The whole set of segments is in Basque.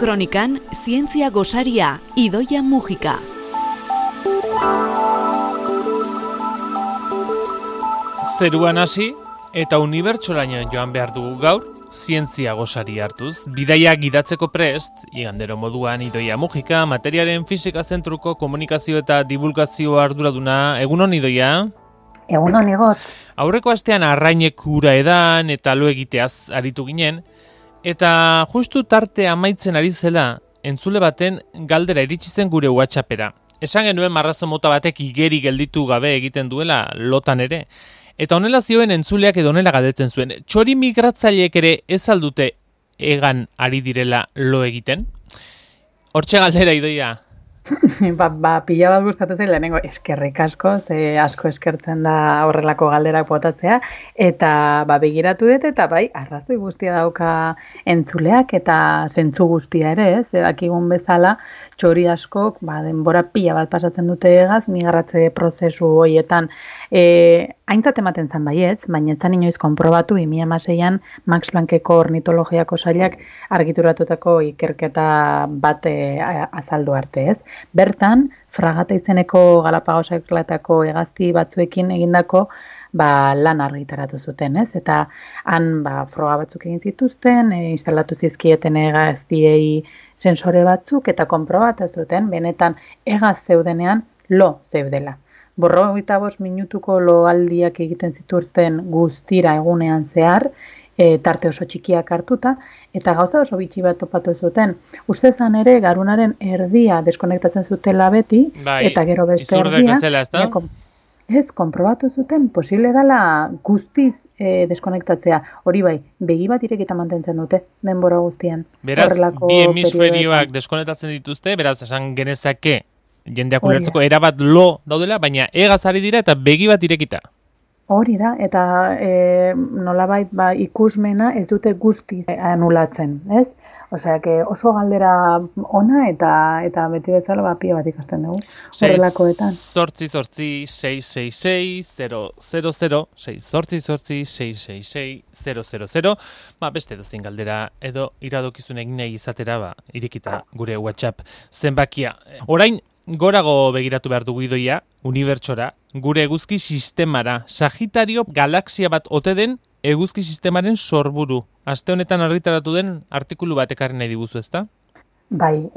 Kronikan, zientzia gosaria, Idoia Mujika. Zeruan hasi eta unibertsolaino joan behar dugu gaur, zientzia gosari hartuz. Bidaia gidatzeko prest, igandero moduan Idoia Mujika, materiaren fisika zentruko komunikazio eta divulgazio arduraduna. Egunon, Idoia? Egunon, Igot. Aurreko astean arrainek ura edan eta lo egiteaz aritu ginen, eta justu tarte amaitzen ari zela, entzule baten galdera iritsi zen gure WhatsAppera. Esan genuen marrazo mota batek igeri gelditu gabe egiten duela lotan ere. Eta honela zioen entzuleak edo honela galdetzen zuen. Txori migratzaileek ere ez aldute egan ari direla lo egiten? Hortxe galdera, Idoia. Pila bat gustatu zen lehenengo eskerrik asko, ze asko eskertzen da horrelako galderak botatzea, eta begiratu dut eta bai, arrazoi guztia dauka entzuleak eta zentzu guztia ere, ez? Dakigun bezala, txori askok, denbora pila bat pasatzen dute egaz, migratze prozesu horietan, aintzat ematen zen baietz, baina etzan inoiz konprobatu 2016an Max Planckeko ornitologiako sailak argituratutako ikerketa bat azaldu arte, ez? Bertan, Fragata izeneko Galapagosaklatako hegazti batzuekin egindako lan argitaratu zuten, ez? Eta han froga batzuk egin zituzten, instalatu zizkieten hegaztiei sensore batzuk eta konprobatu zuten, benetan hegaz zeudenean lo zeudela. 45 minutuko loaldiak egiten zituzten guztira egunean zehar, tarte oso txikiak hartuta, eta gauza oso bitxi bat topatu zuten. Ustezan ere, garunaren erdia deskonektatzen zutela beti, eta gero beste erdia, ez, konprobatu zuten, posible dela guztiz deskonektatzea. Hori bai, begi bat irekita mantentzen dute, denbora guztian. Beraz, bi hemisferioak deskonektatzen dituzte, beraz, esan genezake, jendeak ulertzeko erabat lo daudela, baina hegaz ari dira eta begi bat irekita. Hori da, eta nolabait ikusmena ez dute guztiz anulatzen, ez? Osea, oso galdera ona eta beti bezala pila bat ikasten dugu. Horrelakoetan. 666-000-666-000. Beste dozin galdera edo iradokizun egin nahi izatera irekita gure WhatsApp zenbakia. Orain, gorago begiratu behar dugu, Idoia, unibertsora, gure eguzki sistemara. Sagitario galaxia bat ote den eguzki sistemaren sorburu. Aste honetan argitaratu den artikulu bat ekarri nahi diguzu, ezta? Bai,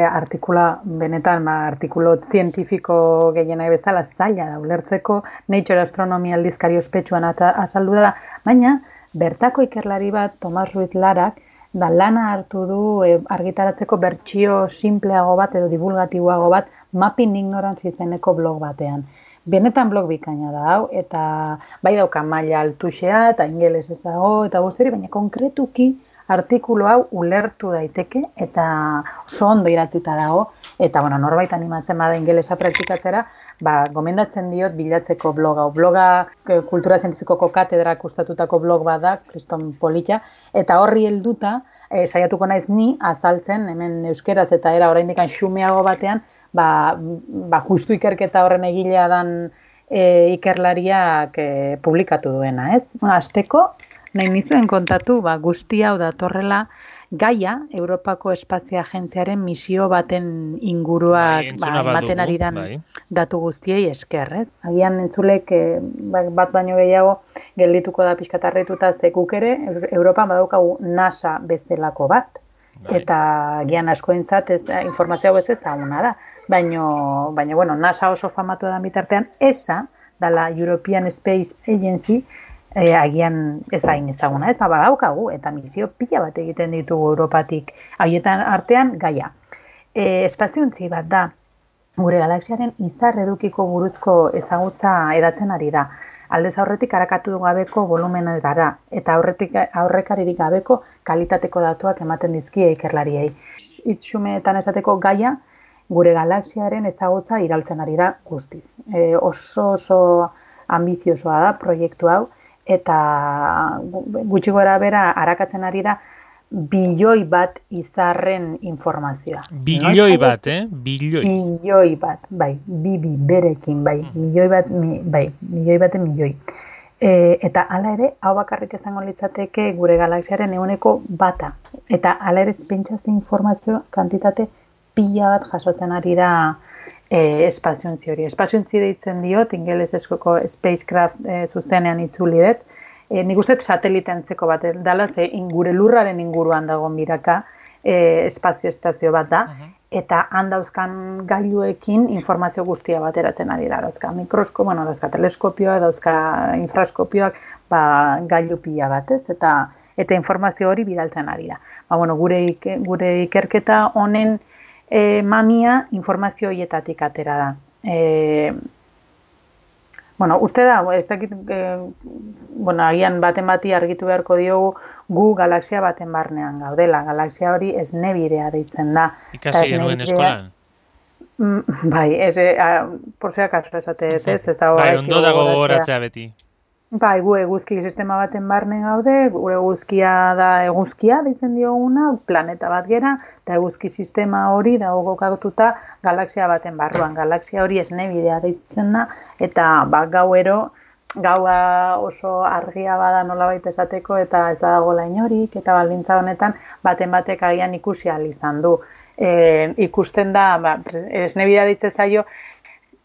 artikulu zientifiko gehienak bezala zaila da ulertzeko, Nature Astronomy aldizkari ospetsuan azaldu da, baina bertako ikerlari bat, Tomas Ruiz Larak, lana hartu du argitaratzeko bertsio simpleago bat edo divulgatiboago bat Mapping Ignorance izeneko blog batean. Benetan blog bikaina da hau, eta bai dauka maila altuxea eta ingeles ez dago, eta guzti hori, baina konkretuki artikulu hau ulertu daiteke eta oso ondo idatzita dago, eta norbait animatzen bada ingelesa praktikatzera, gomendatzen diot bilatzeko blog hau. Bloga kultura zientifikoko katedrak ustatutako blog bat da, Kriston Politxa, eta horri helduta saiatuko naiz ni azaltzen, hemen euskeraz eta era oraindik xumeago batean, justu ikerketa horren egilea dan ikerlariak publikatu duena, ez? Hasteko, nahi nizuen kontatu, guzti hau datorrela Gaia, Europako Espazio Agentziaren misio baten inguruak ematen ari dan datu guztiei esker, ez? Agian entzulek bat baino gehiago geldituko da pixkatarretuta zekuk ere, Europan badaukagu NASA bezalako bat, eta agian askoentzat informazioa ez ezaguna da. Baina, NASA oso famatu da bitartean, ESA, dala European Space Agency, agian ez hain ezaguna, ez badaukagu, eta misio pila bat egiten ditugu Europatik, haietan artean Gaia. Espaziontzi bat da, gure galaxiaren izar edukiko buruzko ezagutza edatzen ari da. Aldez aurretik arakatu gabeko volumena gara, eta aurrekaririk gabeko kalitateko datuak ematen dizkie ikerlariei. Itxumeetan esateko Gaia, gure galaxiaren ezagutza irautzen ari da guztiz. Oso ambiziosoa da proiektu hau, eta gutxi gora bera arakatzen ari da bilioi bat izarren informazioa. Bilioi bat, Bilioi. Bilioi bat, bai, bibi berekin, bai, milioi baten milioi. Eta hala ere, hau bakarrik izango litzateke gure galaxiaren 1%. Eta hala ere, pentsatze informazio kantitate pila bat jasotzen ari da espaziontzi hori. Espaziontzi deitzen diot, ingelesezko spacecraft zuzenean itzuli dut. Nik uste satelitentzeko bat dela, ze gure lurraren inguruan dagoen biraka espazio estazio bat da, eta handauzkan gailuekin informazio guztia bateratzen ari da. Dauzka mikroskopio, dauzka teleskopioa, dauzka infraskopioak, gailu pila bat, ez? Eta informazio hori bidaltzen ari da. Gure ikerketa honen mamia informazio horietatik atera da. Uste da, ez dakit, agian baten bati argitu beharko diogu gu galaxia baten barnean gaudela. Galaxia hori esnebirea deitzen da. Ikasi genuen eskolan? Bai, por si acaso esate, ez da. Bai, ondo dago gogoratzea beti. Bai, gu eguzki sistema baten barne gaude, gure eguzkia da eguzkia deitzen dioguna, planeta bat gera, eta eguzki sistema hori dago kokatuta galaxia baten barruan. Galaxia hori esnebidea deitzen da, eta gaua oso argia bada nolabait esateko, eta ez dagoela inorik, eta baldintza honetan baten batek agian ikusi ahal izan du. Ikusten da, esnebidea deitzen zaio,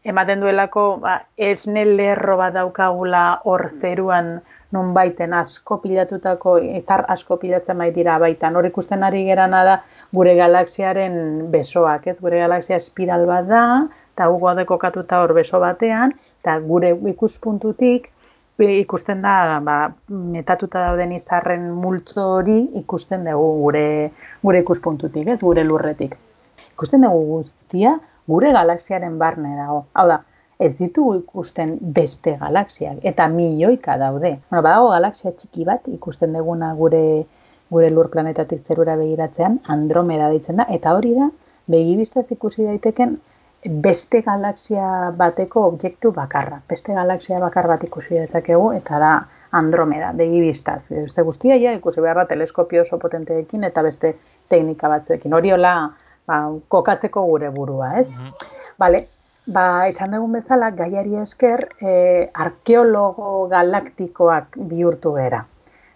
ematen duelako esne lerro bat daukagula hor zeruan nonbaiten asko pilatutako, izar asko pilatzen baitira baitan. Hor ikusten ari gerana da gure galaxiaren besoak, ez? Gure galaxia espiral bat da, eta gu gaude kokatuta hor beso batean, eta gure ikuspuntutik ikusten da metatuta dauden izarren multzo hori ikusten dugu gure ikuspuntutik, ez? Gure lurretik. Ikusten dugu guztia gure galaxiaren barne dago. Hau da, ez ditugu ikusten beste galaxiak, eta milioika daude. Badago galaxia txiki bat ikusten duguna gure lur planetatik zerura begiratzean, Andromeda deitzen da, eta hori da, begibistaz ikusi daiteken beste galaxia bateko objektu bakarra. Beste galaxia bakar bat ikusi dezakegu, eta da Andromeda, begibistaz. Beste guztia ikusi behar da teleskopio oso potenteekin eta beste teknika batzuekin. Hori hola, kokatzeko gure burua, ez? Bale, esan dugun bezala, gaiari esker, arkeologo galaktikoak bihurtu gara.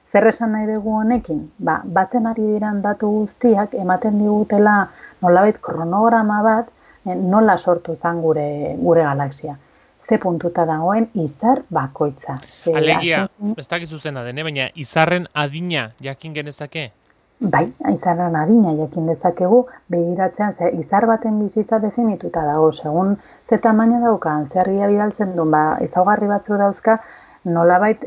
Zer esan nahi dugu honekin? Batzen ari diran datu guztiak ematen digutela nolabait kronograma bat nola sortu zen gure galaxia. Ze puntuta dagoen izar bakoitza. Alegia, ez dakizu zena dene, baina izarren adina jakin genezake? Bai, izarren adina jakin dezakegu, begiratzean, izar baten bizitza definituta dago, segun ze tamaina daukan, zerria bidaltzen duen, ezaugarri batzu dauzka, nolabait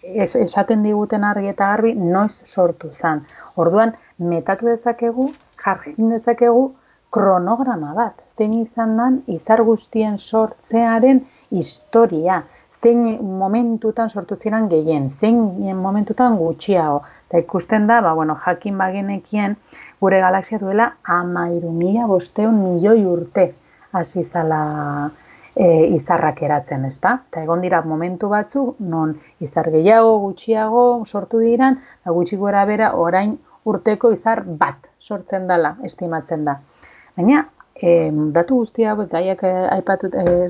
esaten diguten argi eta garbi noiz sortu zen. Orduan, metatu dezakegu, jarrin dezakegu kronograma bat, zein izan den izar guztien sortzearen historia, zein momentutan sortu ziren gehien, zein momentutan gutxiago. Eta ikusten da, jakin bagenekien gure galaxia duela 13.500 milioi urte hasi zala izarrak eratzen, ezta? Eta egon dira momentu batzu, non izar gehiago, gutxiago sortu diran, eta gutxi gora bera orain urteko izar bat sortzen dela, estimatzen da. Baina, datu guztia, gaiak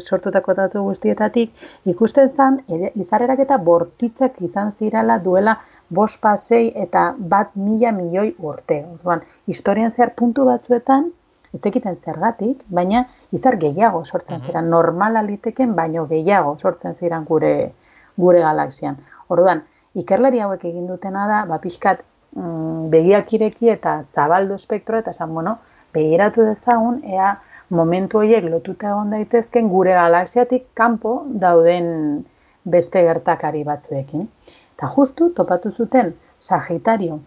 sortutako datu guztietatik, ikusten zen, izarrerak eta bortitzak izan zirala duela 5,6 eta 1.000 milioi urte. Orduan, historian zehar puntu batzuetan, ez ekiten zergatik, baina izar gehiago sortzen ziren, normala liteken, baino gehiago sortzen ziren gure galaxian. Orduan, ikerlari hauek egin dutena da, pixkat begiak ireki eta zabaldu espektroa, eta esan, begiratu dezagun, ea momentu horiek lotuta egon daitezken gure galaxiatik kanpo dauden beste gertakari batzuekin. Eta justu topatu zuten Sagitario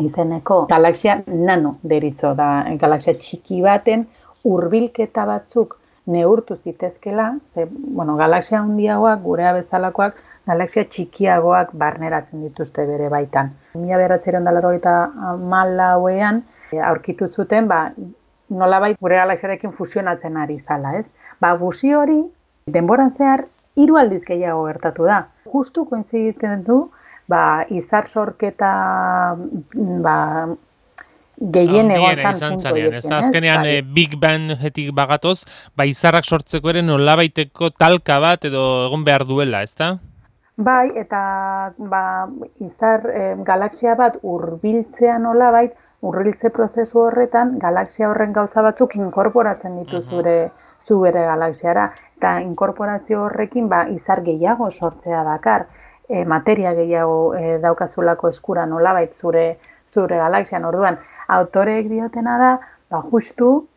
izeneko galaxia nano deritzo da, galaxia txiki baten hurbilketa batzuk neurtu zitezkela, galaxia handiagoak, gurea bezalakoak, galaxia txikiagoak barneratzen dituzte bere baitan. 1984ean aurkitu zuten, nolabait gure galaxiarekin fusionatzen ari zala, ez? Fusio hori, denboran zehar, 3 aldiz gehiago gertatu da. Justu koinziditzen du, izar sorketa, gehien egon zan puntu horiekin. Azkenean Big Bang-etik bagatoz, izarrak sortzeko ere nolabaiteko talka bat edo egon behar duela, ez da? Bai, eta izar galaxia bat hurbiltzea nolabait, hurbiltze prozesu horretan, galaxia horren gauza batzuk inkorporatzen ditu zu bere galaxiara. Eta inkorporazio horrekin izar gehiago sortzea dakar, materia gehiago daukazulako eskura nolabait zure galaxian. Orduan, autoreek diotena da, justu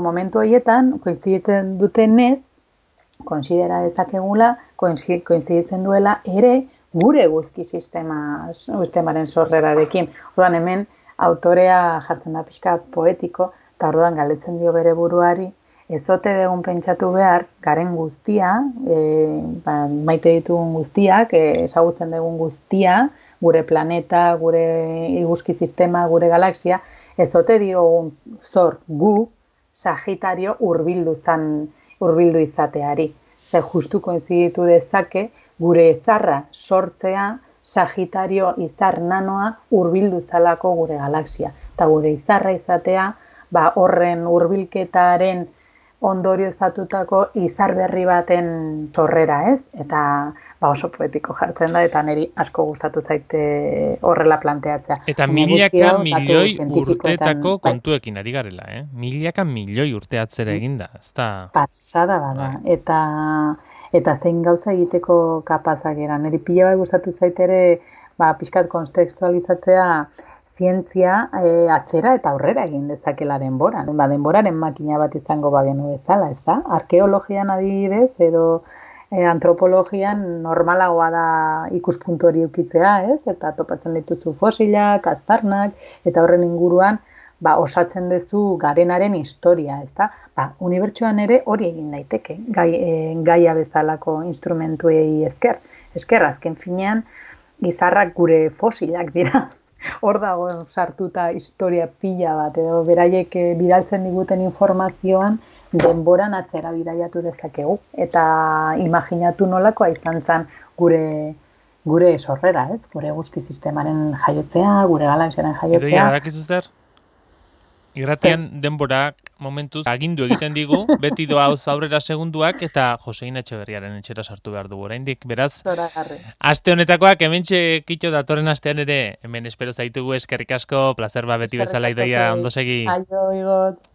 momentu horietan, koinziditzen dutenez, konsidera dezakegula, koinziditzen duela ere gure guzki sistemaren sorrerarekin. Orduan hemen autorea jartzen da pixka poetiko, eta orduan galdetzen dio bere buruari, ez ote dugun pentsatu behar, garen guztia, maite ditugun guztiak, ezagutzen dugun guztia, gure planeta, gure iguzki sistema, gure galaxia, ez ote diogun zor gu, Sagitario hurbildu izateari. Ze justu koinziditu dezake, gure izarra sortzea, Sagitario izar nanoa hurbildu zalako gure galaxia. Eta gure izarra izatea, horren hurbilketaren ondorioztatutako izar berri baten sorrera, ez? Eta oso poetiko jartzen da, eta niri asko gustatu zaite horrela planteatzea. Eta milaka milioi urteetako kontuekin ari garela, Milaka milioi urte atzera eginda, ez da? Pasada bada, eta zein gauza egiteko kapazak eran. Niri pila bai gustatu zaitere, pixkat kontekstualizatzea zientzia atzera eta aurrera egin dezakela denboran. Denboraren makina bat izango bagenu bezala, ez da? Arkeologian adibidez, edo antropologian normalagoa da ikuspuntu hori ukitzea, ez? Eta topatzen dituzu fosilak, aztarnak, eta horren inguruan osatzen duzu garenaren historia, ez da? Unibertsuan ere hori egin daiteke, gaia bezalako instrumentuei esker. Esker, azken finean, izarrak gure fosilak dira. Hor dago sartuta historia pila bat, edo beraiek bidaltzen diguten informazioan denboran atzera bidaiatu dezakegu. Eta imaginatu nolakoa izan zen gure sorrera, ez? Gure guzki sistemaren jaiotzea, gure galaxiaren jaiotzea. Idoia, badakizu zer? Irratian denborak momentuz agindu egiten digu, beti doa aurrera segunduak, eta Josein Etxeberriaren etxera sartu behar dugu oraindik. Beraz, aste honetakoak hementxe kitxo datorren astean ere, hemen espero zaitugu, eskerrik asko, placer beti bezala Idoia, ondo segi. Aio, Igot.